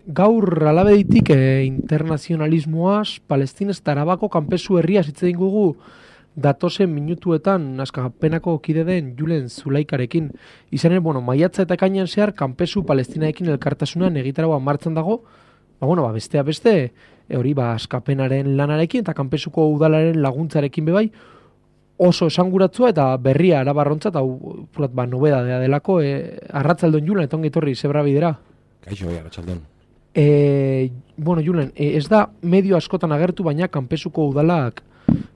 gaur alabeditik internazionalismoaz, Palestinez eta Arabako kanpezu herria hitz egin gugu datozen minutuetan askapenako kide den Julen Zulaikarekin. Izan ere, maiatza eta ekainean zehar kanpezu Palestinaekin elkartasunan egitaragoa martxan dago, besteak beste, hori askapenaren lanarekin eta kanpezuko udalaren laguntzarekin bebai, oso esanguratzua eta berria arabarrontzat, hau nobedadea delako, arratzaldon Julen, eta ongi etorri, zebra bidera. Kaixo, arratzaldon. Julen, ez da medio askotan agertu, baina kanpezuko udalak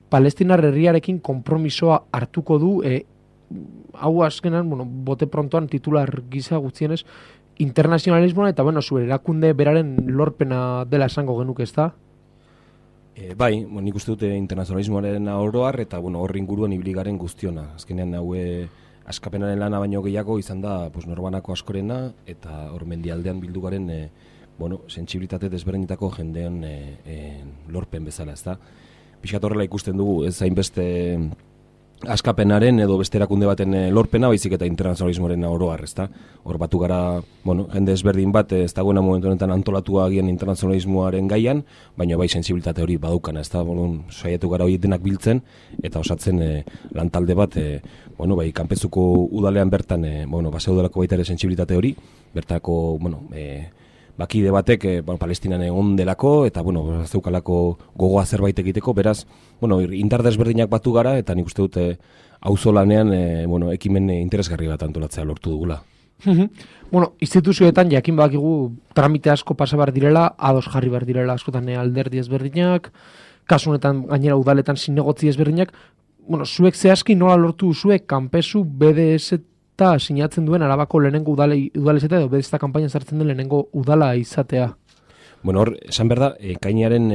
Palestinar herriarekin konpromisoa hartuko du, hau azkenan, bote prontoan titular gisa gutxienez, internazionalismoa eta, zure erakunde beraren lorpena dela esango genuk, ez da? Bai, nik uste dute internazionalismoaren oroar eta horri inguruan ibligaren guztiona. Azkenean askapenaren lana baino gehiago izan da norbanako askorena eta hor mendialdean bildu garen sentsibilitate desberdinetako jendean lorpen bezala, ez da? Pixkat horrela ikusten dugu, ez hainbeste askapenaren edo beste erakunde baten lorpena, baizik eta internazionalismoaren oroar, ez da? Hor batu gara, jende ezberdin bat, ez dagoena momentu honetan antolatua agian internazionalismoaren gaian, baina bai sentsibilitate hori badukana, ez da? Saiatu gara hori denak biltzen, eta osatzen lantalde bat, kanpezuko udalean bertan, baseudalako baita ere sentsibilitate hori, bertako, bakide batek Palestinan egon delako eta zeukalako gogoa zerbait egiteko, beraz, indar desberdinak batu gara eta nik uste dute auzolanean ekimen interesgarri bat antolatzea lortu dugula. Instituzioetan jakin bakigu tramite asko pasa behar direla, ados jarri behar direla askotan alderdi ezberdinak, kasu honetan gainera udaletan zinegotzi ezberdinak, zuek zehazki nola lortu zuek kanpezu BDS eta sinatzen duen Arabako lehenengo udala izatea edo bedezta kanpainan sartzen den lehenengo udala izatea. Hor, esan behar da, ekainearen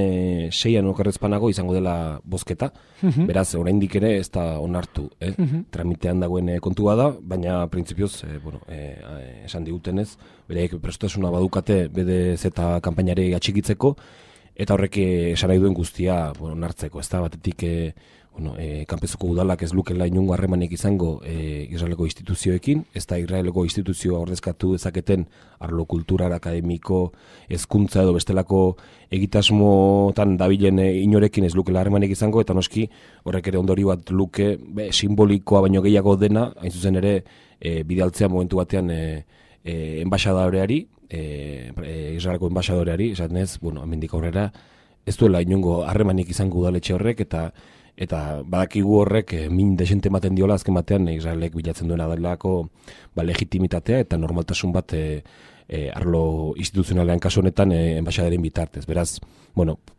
6an okerrezpanago izango dela bozketa, beraz, oraindik ere ez da onartu, tramitean dagoen kontua da, baina printzipioz, esan digutenez, bereik prestasuna badukate BDZ eta kanpainari atxikitzeko, eta horrek esan nahi duen guztia onartzeko, ez da, batetik kanpezuko udalak ez lukela inungo harremanik izango Israeleko instituzioekin, ez da Israeleko instituzioa ordezkatu dezaketen arlo kultural, akademiko, hezkuntza edo bestelako egitasmotan dabilen inorekin ez lukela harremanik izango, eta noski horrek ere ondori bat luke simbolikoa baino gehiago dena, hain zuzen ere bidaltzea momentu batean enbaxadoreari, Israeleko enbaxadoreari, esan ez, hemendik aurrera ez duela inungo harremanik izango udaletxe horrek, eta badakigu horrek min desente ematen diola azken batean Israelek bilatzen duena delako legitimitatea eta normaltasun bat arlo instituzionalean kasu honetan enbaxadaren bitartez. Beraz,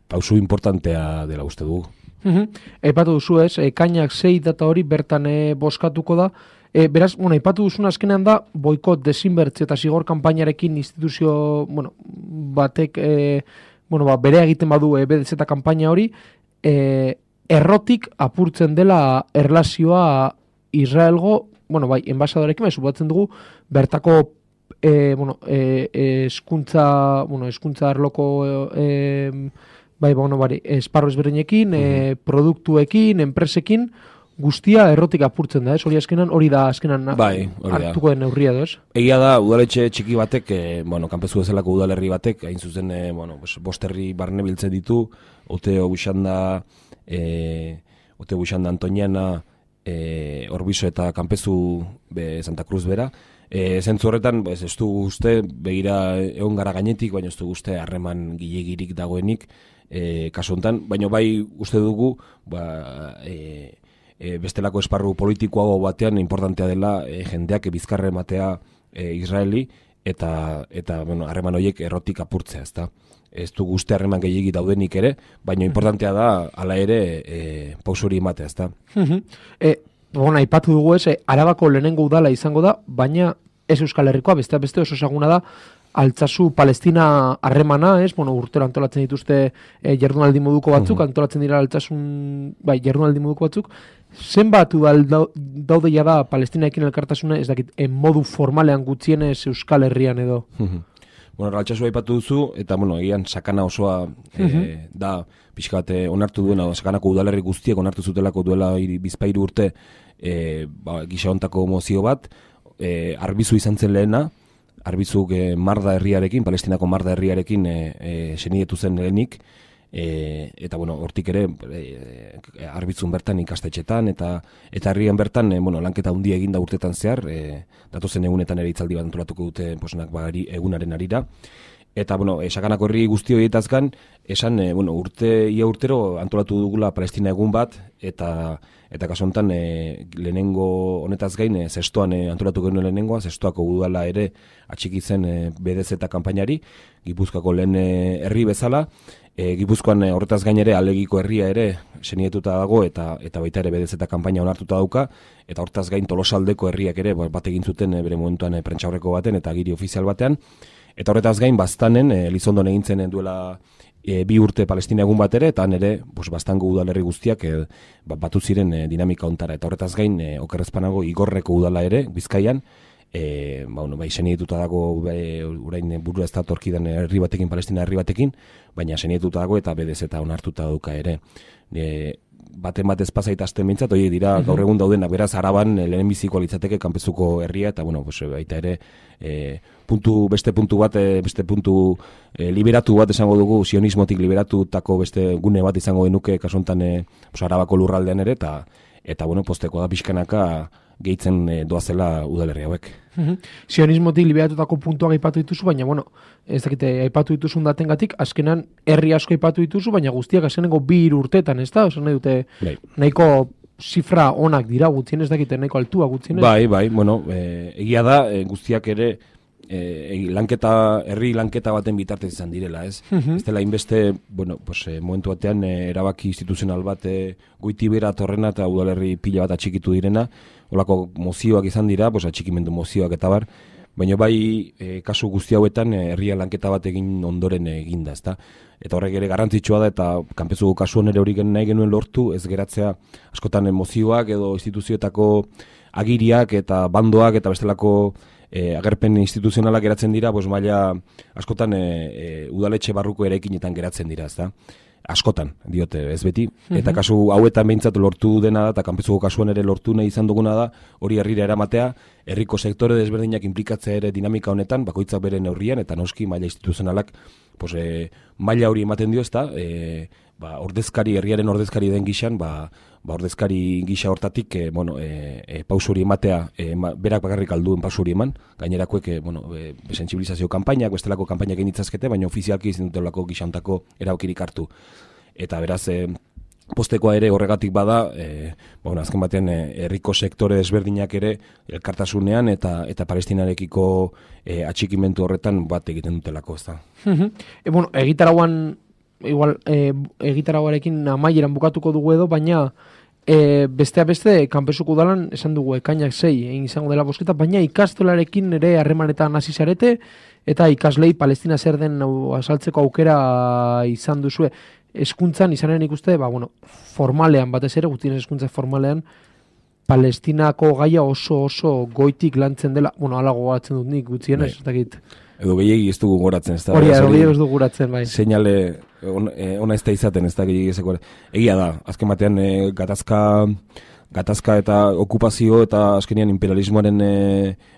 pausu importantea dela uste dugu. Aipatu duzu ez, ekainak 6 data hori bertan bozkatuko da. Beraz, aipatu duzun azkenean da boikot, desinbertzio eta zigor kanpainarekin instituzio batek bere egiten badu BDZ kanpaina hori, errotik apurtzen dela erlazioa Israelgo, enbaxadorekin, suposatzen dugu, bertako eskuntza arloko esparro ezberdinekin, produktuekin, enpresekin, guztia errotik apurtzen da, ez? Hori da azkenan hartuko den neurria, ez? Egia da, udaletxe txiki batek, kanpezu bezalako udalerri batek, hain zuzen, bosterri barne biltzen ditu, Oteo Buxanda Antoniana, Orbiso eta kanpezu Santa Cruz bera. Zentzu horretan, ez du uste, begira egon gara gainetik, baina ez du uste harreman gilegirik dagoenik kasu honetan, baina bai uste dugu bestelako esparru politikoago batean importantea dela jendeak bizkarra ematea Israeli eta harreman horiek errotik apurtzea, ezta? Ez du guzti harreman gehiagi daudenik ere, baina importantea da hala ere pausuri ematea, ezta? Aipatu dugu ez, Arabako lehenengo udala izango da, baina ez Euskal Herrikoa, beste oso ezaguna da, Altsasu Palestina harremana, ez? Urtero antolatzen dituzte jardunaldi moduko batzuk, antolatzen dira Altsasun, jardunaldi moduko batzuk. Zenbat daude da Palestinaekin elkartasuna, ez dakit, modu formalean gutxienez Euskal Herrian edo? Altsasu aipatu duzu, eta egian sakana osoa da pixka bat onartu duena, sakanako udalerri guztiek onartu zutelako duela bizpahiru urte gisa hontako mozio bat, arbizu izan zen lehena, Arbizuk Marda herriarekin, Palestinako Marda herriarekin senietu zen lehenik, eta bueno, hortik ere Arbizun bertan ikastetxetan eta herrian bertan lanketa handia eginda urtetan zehar, datozen egunetan ere hitzaldi bat antolatuko dute egunaren arira. Eta Sakanako herri guzti horietaz gan, esan ia urtero antolatu dugula Palestina egun bat, eta kasu honetan lehenengo honetaz gain, zestoan antolatu genuen lehenengoa, zestoako udala ere atxiki zen BDZ kanpainari, Gipuzkoako lehen herri bezala, Gipuzkoan horretaz gain ere Alegiko herria ere senietuta dago, eta baita ere BDZ kanpaina onartuta dauka, eta horretaz gain Tolosaldeko herriak ere bat egin zuten bere momentuan prentsaurreko baten eta giri ofizial batean, eta horretaz gain Baztanen, Elizondon egintzen duela 2 urte Palestina egun bat ere, eta nere Baztango udalerri guztiak batu ziren dinamika ontara. Eta horretaz gain, okerrezpanago Igorreko udala ere, Bizkaian, senietuta dago orain burua ez da torkidan herri batekin, Palestina herri batekin, baina senietuta dago eta BDZ onartuta dauka ere. Baten bat ezpazait azten bintzat, dira gaur egun daudenak, beraz Araban lehenbiziko litzateke kanpezuko herria, eta baita ere beste puntu liberatu bat esango dugu, sionismotik liberatutako beste gune bat izango genuke kasu honetan Arabako lurraldean ere, eta posteko da pixkanaka gehitzen doazela udalerri hauek. Sionismotik liberatutako puntuak aipatu dituzu, baina ez dakite aipatu dituzun datengatik, azkenan herri asko aipatu dituzu, baina guztiak azkenengo 2 urtetan, ez da? Oso nahi dute nahiko zifra onak dira gutxien, ez dakite nahiko altua gutxien. Bai, egia da guztiak ere herri lanketa baten bitartez izan direla, ez? Ez dela inbeste, momentu batean erabaki instituzional bat Goitibera torrena eta udalerri pila bat atxikitu direna, holako mozioak izan dira, atxikimendu mozioak eta bar, baina bai kasu guzti hauetan herria lanketa bat egin ondoren eginda, ezta? Eta horrek ere garrantzitsua da, eta kanpezuko kasuan ere hori nahi genuen lortu, ez geratzea askotan mozioak edo instituzioetako agiriak eta bandoak eta bestelako agerpen instituzionalak geratzen dira, maila askotan udaletxe barruko eraikinetan geratzen dira, ezta? Askotan, diote, ez beti. Eta kasu hauetan behintzat lortu dena da, eta kanpezuko kasuan ere lortu nahi izan duguna da, hori herrira eramatea, herriko sektore desberdinak inplikatzea ere dinamika honetan, bakoitzak bere neurrian, eta noski maila instituzionalak maila hori ematen dio, ezta? Herriaren ordezkari den gixan, ordezkari gisa hortatik pausu hori ematea, berak bakarrik alduen pausu hori eman, gainerakoek sentsibilizazio kanpainak, bestelako kanpainak egin ditzazkete, baina ofizialki izan dutelako gixantako erabakirik hartu. Eta beraz, postekoa ere horregatik bada, azken batean herriko sektore desberdinak ere elkartasunean eta Palestinarekiko atxikimentu horretan bat egiten dutelako, ez da. Egitarauan igual egitaragoarekin amaieran bukatuko dugu edo, baina besteak beste kanpezuko udalan esan dugu ekainak 6 egin izango dela bozketa, baina ikastolarekin ere harremanetan hasi zarete eta ikaslei Palestina zer den azaltzeko aukera izan duzue. Hezkuntzan izanen ikuste, formalean batez ere, gutien hezkuntza formalean Palestinako gaia oso goitik lantzen dela, hala gogoratzen dut nik gutien ez dakit. Edo gehiagi ez dugu goratzen, ez da? Hori, gehiagi ez dugu goratzen, bai. Seinale ona ez da izaten, ez da gehiagi ezeko. Egia da, azken batean gatazka eta okupazio eta azkenian imperialismoaren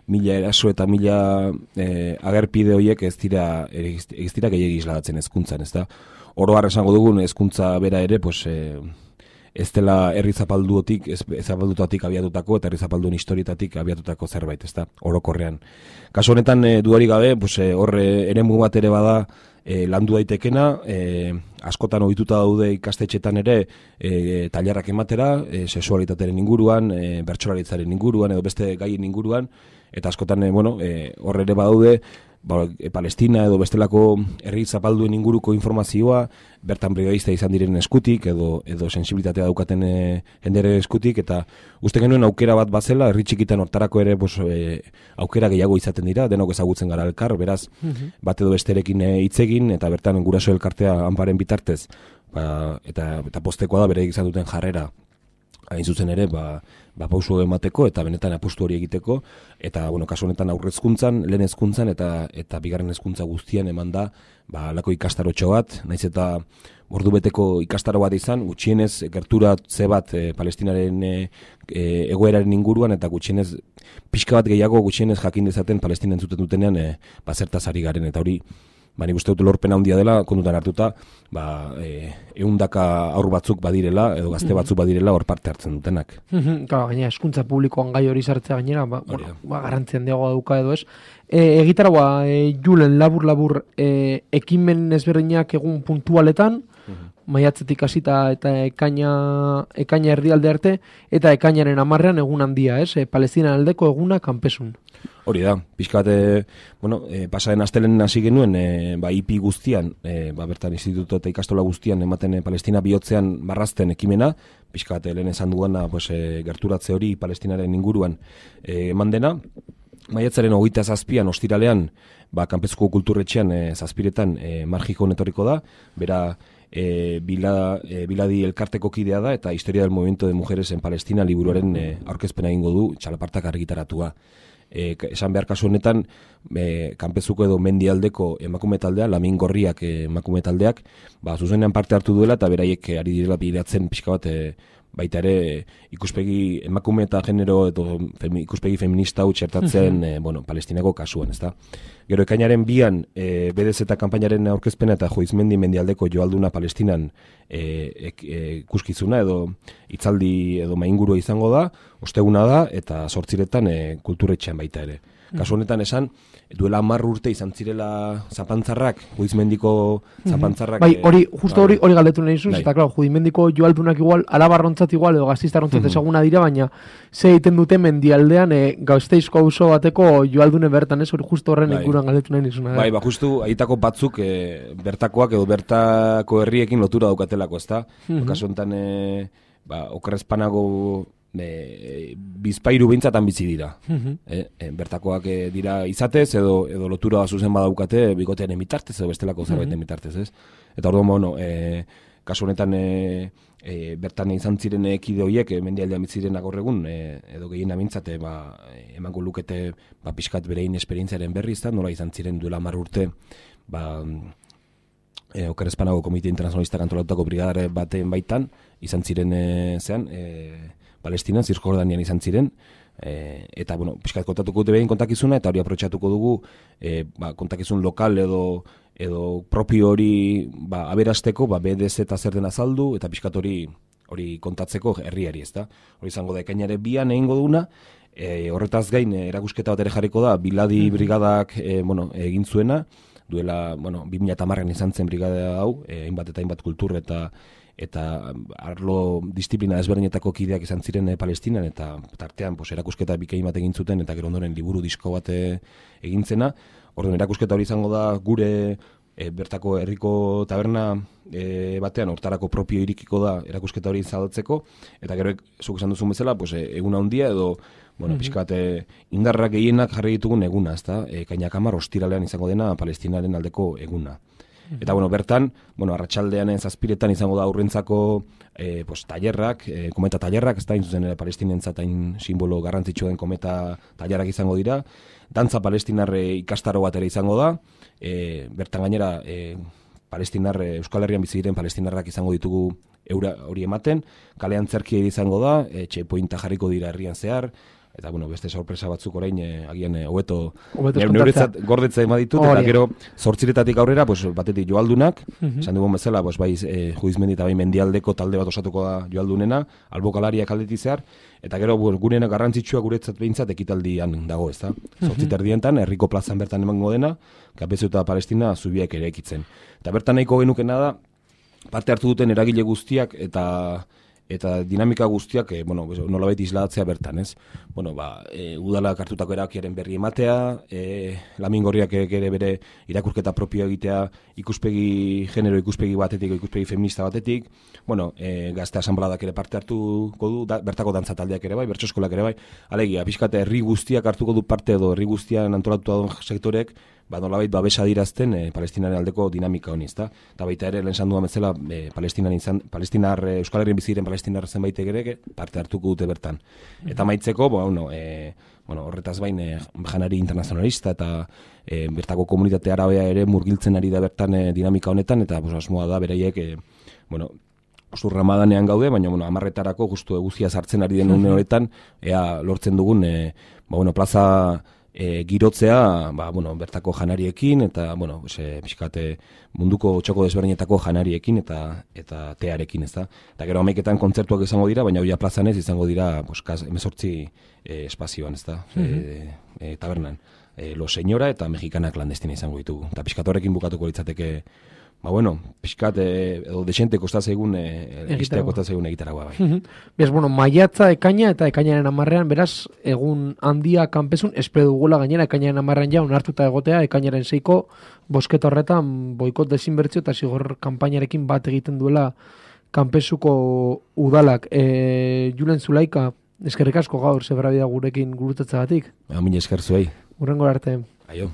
1000 eraso eta 1000 agerpide horiek ez dira gehiagi isladatzen hezkuntzan, ez da? Oro har esango dugun hezkuntza bera ere, ez dela herri zapaldutatik abiatutako eta herri zapalduen historietatik abiatutako zerbait, ez da, orokorrean. Kasu honetan, dudarik gabe, horre eremu bat ere bada landu daitekena, askotan ohituta daude ikastetxetan ere tailerrak ematera, sexualitatearen inguruan, bertsolaritzaren inguruan edo beste gaien inguruan, eta askotan horre ere badaude, Palestina edo bestelako herri zapalduen inguruko informazioa, bertan brigadista izan diren eskutik edo sensibilitatea daukaten jendere eskutik, eta uste genuen aukera bat bazela, herri txikitan hortarako ere aukera gehiago izaten dira, denok ezagutzen gara elkar, beraz, bat edo besterekin hitz egin, eta bertan guraso elkartea Anparen bitartez, eta postekoa da bere izan duten jarrera, hain zuzen ere, pausu emateko eta benetan apustu hori egiteko, eta, kasu honetan aurrezkuntzan, lehen hezkuntzan eta bigarren hezkuntza guztian eman da, lako ikastarotxo bat, naiz eta, ordubeteko ikastaro bat izan, gutxienez gerturatze bat Palestinaren egoeraren inguruan, eta gutxienez pixka bat gehiago gutxienez jakin dezaten Palestina entzuten dutenean zertaz ari garen, eta hori nik uste dut lorpen handia dela, kontutan hartuta, 100 aur batzuk badirela, edo gazte batzuk badirela hor parte hartzen dutenak. Gaina, hezkuntza publikoan gai hori sartzea gainera, garrantzi handiagoa dauka edo ez. Egitaragoa, Julen, labur, ekimen ezberdinak egun puntualetan, maiatzetik hasita eta ekaina erdialde arte, eta ekainaren 10ean egun handia, ez? Palestina aldeko eguna kanpesun. Hori da, pixka bat, pasaren astelen hasi genuen, IP guztian, bertan instituto eta ikastola guztian, ematen Palestina bihotzean marrazten ekimena, pixka bat lehen esan dugana, gerturatze hori Palestinaren inguruan eman dena. Maiatzaren 27an, ostiralean, kanpezuko kulturretxean, zazpiretan, Marjiko netorriko da, bera, Biladi elkarteko kidea da, eta Historia del Movimiento de Mujeres en Palestina liburuaren aurkezpena egingo du, txalapartak argitaratua. Esan behar kasu honetan, kanpezuko edo mendialdeko emakume taldea, Lamin Gorriak emakume taldeak, zuzenean parte hartu duela, eta beraiek ari direla bilatzen pixka bat, baita ere ikuspegi emakume eta genero edo ikuspegi feminista hau txertatzen Palestinako kasuan, ezta? Gero ekainaren 2an BDZ eta kanpainaren aurkezpena eta Joizmendi mendialdeko joalduna Palestinan ikuskizuna edo hitzaldi edo maingurua izango da, osteguna da eta 8etan kulturretxean baita ere. Kasu honetan esan, duela 10 urte izan zirela zapantzarrak, Juizmendiko zapantzarrak... hori galdetu nahi zuz, eta klar, Juizmendiko joaldunak igual, alabarrontzat igual, edo gaztistarrontzat ezaguna dira, baina ze egiten dute mendialdean Gasteizko auzo bateko joaldune bertan, ez? Hori justo horren inguruan galdetu nahi nizuna. Justu, aitako batzuk bertakoak edo bertako herriekin lotura daukatelako, ezta? Kasu honetan, okerrezpanago... bizpairu behintzatan bizi dira. Bertakoak dira izatez, edo lotura zuzen badaukate bikotearen bitartez, edo bestelako zerbaiten bitartez, ez? Eta orduan, kasu honetan bertan izan ziren kide horiek, mendialdean biziren gaur egun, edo gehien amintzate, emango lukete pixkat berein esperientziaren berri, nola izan ziren duela 10 urte, Okerrezpanago Komite Internazionalista antolatutako brigadare baten baitan, izan ziren Palestinan, Zirjordanian izan ziren, eta, pixkat kontatuko dute behin kontakizuna, eta hori aprotxatuko dugu kontakizun lokal edo propio hori aberasteko, BDZ eta zer den azaldu, eta pixkat hori kontatzeko herriari, ezta? Hori izango da, ekainare 2an egingo duguna, horretaz gain, erakusketa bat ere jarriko da, Biladi brigadak egin zuena, duela, 2010an izan zen brigada hau, hainbat eta hainbat kultur eta arlo disiplina ezberdinetako kideak izan ziren Palestinan, eta tartean erakusketa bikain bat egin zuten, eta gero ondoren liburu disko bat egin zena. Orduan erakusketa hori izango da gure bertako herriko taberna batean, hortarako propio irikiko da erakusketa hori zabaltzeko, eta gero zuk esan duzun bezala, eguna handia edo pixka bat indarrak gehienak jarri ditugun eguna, ezta? Ekainak 10 ostiralean izango dena Palestinaren aldeko eguna. Eta, bertan, arratsaldean zazpiretan izango da aurrentzako tailerrak, kometa tailerrak, ez da, zuzen palestinentzat hain simbolo garrantzitsua den kometa tailerrak izango dira, dantza palestinarre ikastaro bat ere izango da, bertan gainera Euskal Herrian bizi diren palestinarrak izango ditugu hori ematen, kalean zerkia izango da, checkpointa jarriko dira herrian zehar, eta, beste sorpresa batzuk orain, agian, hobeto neuretzat gordetzea ema ditut, eta gero 8 aurrera, batetik joaldunak, esan dugun bezala, Juizmendi eta bai mendialdeko talde bat osatuko da joaldunena, albokalariak aldetik zehar, eta gero gunena garrantzitsua guretzat behintzat ekitaldian dago, ezta? 8:00 herriko plazan bertan emango dena, Kanpezu eta Palestina zubiak ere ekitzen. Eta bertan nahiko genukena da, parte hartu duten eragile guztiak eta dinamika guztiak, nolabait islatzea bertan, ez? Udalak hartutako erabakiaren berri ematea, Lamin Gorriak ere bere irakurketa propioa egitea genero ikuspegi batetik, ikuspegi feminista batetik, gazte asanbladak ere parte hartuko du, bertako dantza taldeak ere bai, bertso eskolak ere bai, alegia, pixkate herri guztiak hartuko du parte edo herri guztian antolatuta duen sektorek, nolabait babesa dirazten Palestinaren aldeko dinamika honi, ezta? Eta baita ere, lehen esan duan bezala, Euskal Herrien bizi diren palestinar zenbaitek ere parte hartuko dute bertan. Eta maitzeko, horretaz bain, janari internazionalista eta bertako komunitate arabea ere murgiltzen ari da bertan dinamika honetan, eta asmoa da beraiek bueno, justu ramadanean gaude, baina, bueno, 10etarako justu eguzkia sartzen ari den une horretan, ea lortzen dugun, plaza girotzea, bueno, bertako janariekin, eta, bueno, pixkate munduko txoko desberdinetako janariekin eta tearekin, ez da. Eta gero 11etan kontzertuak izango dira, baina hoia plazan ez izango dira, 18 espazioan, ez da, tabernan. Lo Señora eta Mexicana Clandestina izango ditugu. Eta pixkat horrekin bukatuko litzateke, pixkat edo desente kostazeigun egitea kostazeigun egitaragoa bai. Bez, maiatza, ekaina eta ekainaren 10ean, beraz, egun handia kanpesun, espero dugula gainera ekainaren 10ean ja onartuta egotea, ekainaren 6ko bosketa horretan boikot desinbertzio eta zigor kanpainarekin bat egiten duela kanpesuko udalak. Julen Zulaika, eskerrik asko gaur, zebrabida gurekin gurutatzagatik. Mila esker zuei. Hurrengo arte. Aio.